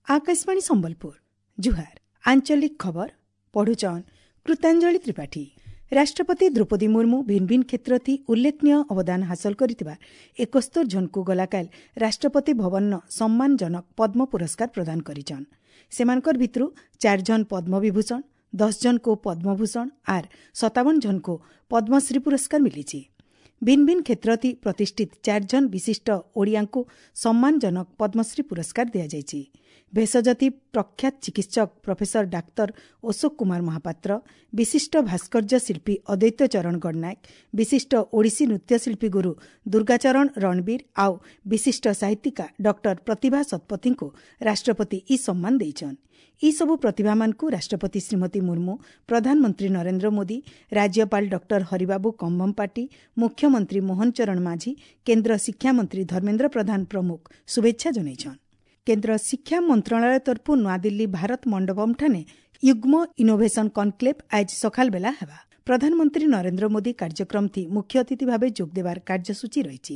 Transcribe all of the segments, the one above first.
Akashvani Sambalpur ଜୁହାର। ଆଞ୍ଚଳିକ ଖବର ପଢୁଛନ୍ କୃତାଞ୍ଜଳି ତ୍ରିପାଠୀ। ରାଷ୍ଟ୍ରପତି ଦ୍ରୌପଦୀ ମୁର୍ମୁ ଭିନ୍ ଭିନ୍ କ୍ଷେତ୍ରଥି ଉଲ୍ଲେଖନୀୟ ଅବଦାନ ହାସଲ କରିଥିବା 71 ଜଣଙ୍କୁ ଗଲାକାଲ ରାଷ୍ଟ୍ରପତି ଭବନର ସମ୍ମାନଜନକ ପଦ୍ମ ପୁରସ୍କାର ପ୍ରଦାନ କରିଛନ୍। ସେମାନଙ୍କର ଭିତରୁ 4 ଜଣ ପଦ୍ମବିଭୂଷଣ, 10 ଜଣଙ୍କୁ ପଦ୍ମଭୂଷଣ ଆର୍ 57 ଜଣଙ୍କୁ ପଦ୍ମଶ୍ରୀ ପୁରସ୍କାର ମିଳିଛି। ଭିନ୍ ଭିନ୍ କ୍ଷେତ୍ରଥି ପ୍ରତିଷ୍ଠିତ 4 ଜଣ ବିଶିଷ୍ଟ ଓଡ଼ିଆଙ୍କୁ ସମ୍ମାନଜନକ ପଦ୍ମଶ୍ରୀ ପୁରସ୍କାର ଦିଆଯାଇଛି। ଭେଷଜତି ପ୍ରଖ୍ୟାତ ଚିକିତ୍ସକ ପ୍ରଫେସର ଡାକ୍ତର ଅଶୋକ କୁମାର ମହାପାତ୍ର, ବିଶିଷ୍ଟ ଭାସ୍କର୍ଯ୍ୟ ଶିଳ୍ପୀ ଅଦ୍ୱୈତ ଚରଣ ଗଡ଼ନାୟକ, ବିଶିଷ୍ଟ ଓଡ଼ିଶୀ ନୃତ୍ୟଶିଳ୍ପୀ ଗୁରୁ ଦୁର୍ଗାଚରଣ ରଣବୀର ଆଉ ବିଶିଷ୍ଟ ସାହିତ୍ୟିକା ଡକ୍ଟର ପ୍ରତିଭା ଶତପଥୀଙ୍କୁ ରାଷ୍ଟ୍ରପତି ଇ ସମ୍ମାନ ଦେଇଛନ୍। ଏସବୁ ପ୍ରତିଭାମାନଙ୍କୁ ରାଷ୍ଟ୍ରପତି ଶ୍ରୀମତୀ ମୁର୍ମୁ, ପ୍ରଧାନମନ୍ତ୍ରୀ ନରେନ୍ଦ୍ର ମୋଦି, ରାଜ୍ୟପାଳ ଡକ୍ଟର ହରିବାବୁ କମ୍ଭମପାଟି, ମୁଖ୍ୟମନ୍ତ୍ରୀ ମୋହନ ଚରଣ ମାଝୀ, କେନ୍ଦ୍ର ଶିକ୍ଷାମନ୍ତ୍ରୀ ଧର୍ମେନ୍ଦ୍ର ପ୍ରଧାନ ପ୍ରମୁଖ ଶୁଭେଚ୍ଛା ଜଣାଇଛନ୍। କେନ୍ଦ୍ର ଶିକ୍ଷା ମନ୍ତ୍ରଣାଳୟ ତରଫୁ ନୂଆଦିଲ୍ଲୀ ଭାରତ ମଣ୍ଡପମଠାନେ ୟୁଗ୍ମ ଇନୋଭେସନ କନକ୍ଲେଭ୍ ଆଜ ସକାଳ ବେଲା ହେବା। ପ୍ରଧାନମନ୍ତ୍ରୀ ନରେନ୍ଦ୍ର ମୋଦି କାର୍ଯ୍ୟକ୍ରମଥି ମୁଖ୍ୟ ଅତିଥି ଭାବେ ଯୋଗଦେବାର କାର୍ଯ୍ୟସୂଚୀ ରହିଛି।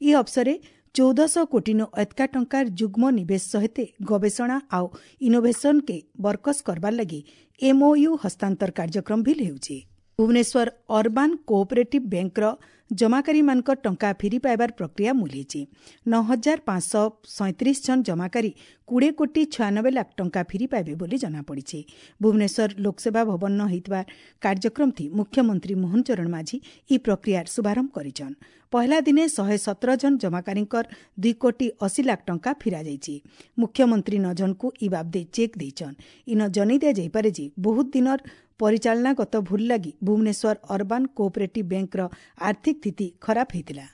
ଏହି ଅବସରେ 1400 କୋଟିନୁ ଏତକା ଟଙ୍କାର ଯୁଗ୍ମ ନିବେଶ ସହିତ ଗବେଷଣା ଆଉ ଇନୋଭେସନକେ ବରକସ କରବାର ଲାଗି ଏମ୍ଓୟୁ ହସ୍ତାନ୍ତର କାର୍ଯ୍ୟକ୍ରମ ବି ହେଉଛି। ଭୁବନେଶ୍ୱର ଅର୍ବାନ୍ କୋଅପରେଟିଭ୍ ବ୍ୟାଙ୍କର ଜମାକାରୀମାନଙ୍କ ଟଙ୍କା ଫେରି ପାଇବାର ପ୍ରକ୍ରିୟା ମୂଲେଇଛି। 9537 ଜଣ ଜମାକାରୀ 20 କୋଟି 96 ଲାଖ ଟଙ୍କା ଫେରି ପାଇବେ ବୋଲି ଜଣାପଡ଼ିଛି। ଭୁବନେଶ୍ୱର ଲୋକସେବା ଭବନ ହୋଇଥିବା କାର୍ଯ୍ୟକ୍ରମଥି ମୁଖ୍ୟମନ୍ତ୍ରୀ ମୋହନ ଚରଣ ମାଝୀ ଇ ପ୍ରକ୍ରିୟାର ଶୁଭାରମ୍ଭ କରିଛନ୍। ପହିଲା ଦିନେ 117 ଜଣ ଜମାକାରୀଙ୍କର 2 କୋଟି 80 ଲାଖ ଟଙ୍କା ଫିରାଯାଇଛି। ମୁଖ୍ୟମନ୍ତ୍ରୀ 9 ଜଣଙ୍କୁ ଇ ବାବଦେ ଚେକ୍ ଦେଇଛନ୍। ଇନ ଜଣାଇ ଦିଆଯାଇପାରେ ଯେ ବହୁତ ଦିନର ପରିଚାଳନାଗତ ଭୁଲ ଲାଗି ଭୁବନେଶ୍ୱର ଅର୍ବାନ୍ କୋଅପରେଟିଭ୍ ବ୍ୟାଙ୍କର ଆର୍ଥିକ ସ୍ଥିତି ଖରାପ ହୋଇଥିଲା।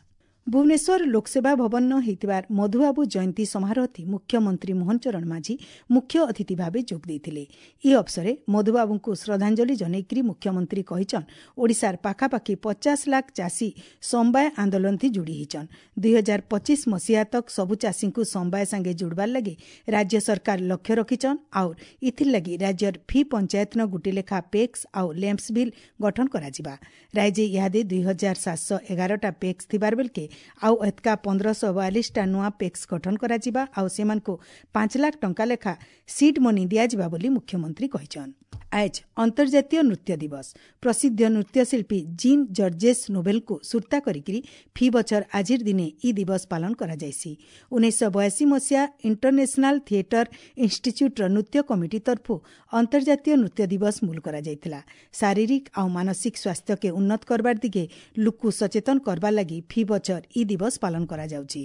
ଭୁବନେଶ୍ୱର ଲୋକସେବା ଭବନ ହୋଇଥିବା ମଧୁବାବୁ ଜୟନ୍ତୀ ସମାରୋହଥି ମୁଖ୍ୟମନ୍ତ୍ରୀ ମୋହନ ଚରଣ ମାଝୀ ମୁଖ୍ୟ ଅତିଥି ଭାବେ ଯୋଗ ଦେଇଥିଲେ। ଏହି ଅବସରେ ମଧୁବାବୁଙ୍କୁ ଶ୍ରଦ୍ଧାଞ୍ଜଳି ଜଣାଇକରି ମୁଖ୍ୟମନ୍ତ୍ରୀ କହିଛନ୍, ଓଡ଼ିଶାର ପାଖାପାଖି 50 ଲାଖ ଚାଷୀ ସମବାୟ ଆନ୍ଦୋଳନଥି ଯୋଡ଼ି ହେଇଛନ୍। 2025 ମସିହା ତକ୍ ସବୁ ଚାଷୀଙ୍କୁ ସମବାୟ ସାଙ୍ଗେ ଯୋଡ଼ବାର ଲାଗି ରାଜ୍ୟ ସରକାର ଲକ୍ଷ୍ୟ ରଖିଛନ୍ ଆଉ ଇଥିର୍ ଲାଗି ରାଜ୍ୟର ଫି ପଞ୍ଚାୟତନ ଗୁଟେ ଲେଖା ପେକ୍ସ ଆଉ ଲ୍ୟାମ୍ପସ ବିଲ୍ ଗଠନ କରାଯିବା। ରାଜ୍ୟ ଇହାଦେ 2711ଟା ପେକ୍ସ ଥିବାର ବେଲକେ ଆଉ ଏତକା 1542ଟା ନୂଆ ପେକ୍ସ ଗଠନ କରାଯିବା ଆଉ ସେମାନଙ୍କୁ 5 ଲାଖ ଟଙ୍କା ଲେଖା ସିଡ୍ ମନି ଦିଆଯିବା ବୋଲି ମୁଖ୍ୟମନ୍ତ୍ରୀ କହିଛନ୍। ଆଜ ଅନ୍ତର୍ଜାତୀୟ ନୃତ୍ୟ ଦିବସ। ପ୍ରସିଦ୍ଧ ନୃତ୍ୟଶିଳ୍ପୀ ଜିନ୍ ଜର୍ଜେସ୍ ନୋବେଲଙ୍କୁ ସୁର୍ତ୍ତା କରିକିରି ଫି ବଛର ଆଜିର ଦିନେ ଇ ଦିବସ ପାଳନ କରାଯାଇସି। 1982 ମସିହା ଇଣ୍ଟରନ୍ୟାସନାଲ ଥିଏଟର ଇନ୍ଷ୍ଟିଚ୍ୟୁଟ୍ର ନୃତ୍ୟ କମିଟି ତରଫୁ ଅନ୍ତର୍ଜାତୀୟ ନୃତ୍ୟ ଦିବସ ମୂଲ କରାଯାଇଥିଲା। ଶାରୀରିକ ଆଉ ମାନସିକ ସ୍ୱାସ୍ଥ୍ୟକେ ଉନ୍ନତ କରବାର ଦିଗେ ଲୁକୁ ସଚେତନ କରବାର ଲାଗି ଫି ବଛର ଇ ଦିବସ ପାଳନ କରାଯାଉଛି।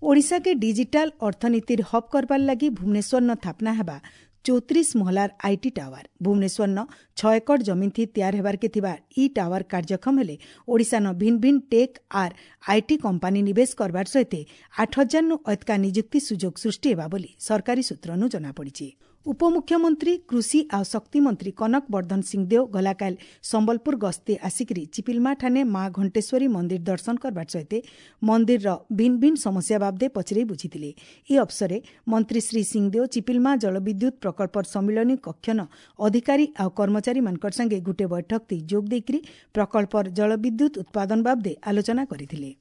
ଓଡ଼ିଶାକେ ଡିଜିଟାଲ ଅର୍ଥନୀତିର ହବ୍ କରବାର ଲାଗି ଭୁବନେଶ୍ୱରନ ସ୍ଥାପନା ହେବା 34 ମହଲାର IT tower. ଭୁବନେଶ୍ୱରନ 6 ଏକର ଜମିଥି ତିଆର ହେବାରକେ ଥିବା ଇ ଟାୱାର କାର୍ଯ୍ୟକ୍ଷମ ହେଲେ ଓଡ଼ିଶାନ ଭିନ୍ ଭିନ୍ ଟେକ୍ ଆର୍ IT company ନିବେଶ କରବାର ସହିତ 8000ନୁ ଅଧିକା ନିଯୁକ୍ତି ସୁଯୋଗ ସୃଷ୍ଟି ହେବା ବୋଲି ସରକାରୀ ସୂତ୍ରନୁ ଜଣାପଡ଼ିଛି। ଉପମୁଖ୍ୟମନ୍ତ୍ରୀ କୃଷି ଆଉ ଶକ୍ତି ମନ୍ତ୍ରୀ କନକ ବର୍ଦ୍ଧନ ସିଂଦେଓ ଗଲାକାଲ ସମ୍ବଲପୁର ଗସ୍ତେ ଆସିକରି ଚିପିଲମାଠାନେ ମା ଘଣ୍ଟେଶ୍ୱରୀ ମନ୍ଦିର ଦର୍ଶନ କରବାର ସହିତ ମନ୍ଦିରର ଭିନ୍ ଭିନ୍ ସମସ୍ୟା ବାବଦେ ପଚରେଇ ବୁଝିଥିଲେ। ଏହି ଅବସରେ ମନ୍ତ୍ରୀ ଶ୍ରୀ ସିଂଦେଓ ଚିପିଲମା ଜଳବିଦ୍ୟୁତ୍ ପ୍ରକଳ୍ପର ସମ୍ମିଳନୀ କକ୍ଷନ ଅଧିକାରୀ ଆଉ କର୍ମଚାରୀମାନଙ୍କର ସାଙ୍ଗେ ଗୁଟେ ବୈଠକ ଯୋଗ ଦେଇକରି ପ୍ରକଳ୍ପର ଜଳବିଦ୍ୟୁତ୍ ଉତ୍ପାଦନ ବାବଦେ ଆଲୋଚନା କରିଥିଲେ।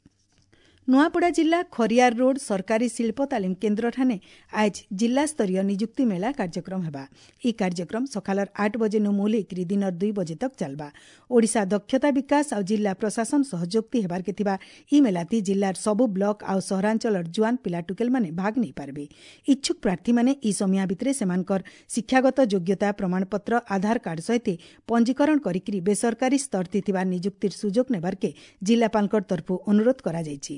ନୂଆପଡ଼ା ଜିଲ୍ଲା ଖରିଆର ରୋଡ୍ ସରକାରୀ ଶିଳ୍ପ ତାଲିମ କେନ୍ଦ୍ରଠାନେ ଆଜ ଜିଲ୍ଲାସ୍ତରୀୟ ନିଯୁକ୍ତି ମେଳା କାର୍ଯ୍ୟକ୍ରମ ହେବା। ଏହି କାର୍ଯ୍ୟକ୍ରମ ସକାଳର 8 ବଜେନୁ ମୂଲ ହେଇକରି ଦିନର 2 ବଜେ ତକ୍ ଚାଲବା। ଓଡ଼ିଶା ଦକ୍ଷତା ବିକାଶ ଆଉ ଜିଲ୍ଲା ପ୍ରଶାସନ ସହଯୋଗତି ହେବାରକେ ଥିବା ଇ ମେଲାତି ଜିଲ୍ଲାର ସବୁ ବ୍ଲକ ଆଉ ସହରାଞ୍ଚଳର ଜୁଆନ ପିଲା ଟୁକେଲମାନେ ଭାଗ ନେଇପାରିବେ। ଇଚ୍ଛୁକ ପ୍ରାର୍ଥୀମାନେ ଇ ସମୟା ଭିତରେ ସେମାନଙ୍କର ଶିକ୍ଷାଗତ ଯୋଗ୍ୟତା ପ୍ରମାଣପତ୍ର, ଆଧାର କାର୍ଡ ସହିତ ପଞ୍ଜୀକରଣ କରିକିରି ବେସରକାରୀ ସ୍ତରଥି ଥିବା ନିଯୁକ୍ତିର ସୁଯୋଗ ନେବାରକେ ଜିଲ୍ଲାପାଳଙ୍କର ତରଫରୁ ଅନୁରୋଧ କରାଯାଇଛି।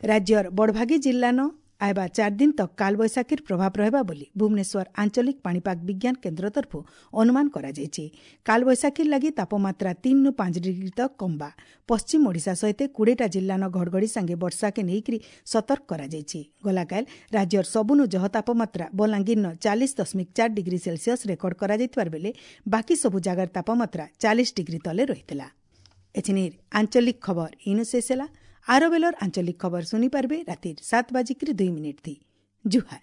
ରାଜ୍ୟର ବଡ଼ଭାଗୀ ଜିଲ୍ଲାନ ଆଇବା 4 ଦିନ ତକ୍ କାଳବୈଶାଖୀର ପ୍ରଭାବ ରହିବା ବୋଲି ଭୁବନେଶ୍ୱର ଆଞ୍ଚଳିକ ପାଣିପାଗ ବିଜ୍ଞାନ କେନ୍ଦ୍ର ତରଫରୁ ଅନୁମାନ କରାଯାଇଛି। କାଳବୈଶାଖୀର ଲାଗି ତାପମାତ୍ରା 3ରୁ 5 ଡିଗ୍ରୀ ତକ୍ କମ୍ବା। ପଶ୍ଚିମ ଓଡ଼ିଶା ସହିତ 20ଟା ଜିଲ୍ଲାନ ଘଡ଼ଘଡ଼ି ସାଙ୍ଗେ ବର୍ଷାକେ ନେଇକରି ସତର୍କ କରାଯାଇଛି। ଗଲାକାଲ ରାଜ୍ୟର ସବୁନୁ ଜହ ତାପମାତ୍ରା ବଲାଙ୍ଗୀରନ 40.4 ଡିଗ୍ରୀ ସେଲସିୟସ୍ ରେକର୍ଡ କରାଯାଇଥିବାର ବେଲେ ବାକି ସବୁ ଜାଗାର ତାପମାତ୍ରା 40 ଡିଗ୍ରୀ ତଲେ ରହିଥିଲା। ଏଥିନିର ଆଞ୍ଚଳିକ ଖବର ଇନୁ ଶେଷ ହେଲା। ଆର ବେଲର ଆଞ୍ଚଳିକ ଖବର ଶୁଣିପାରିବେ ରାତିର 7:02 ଥି। ଜୁହାର।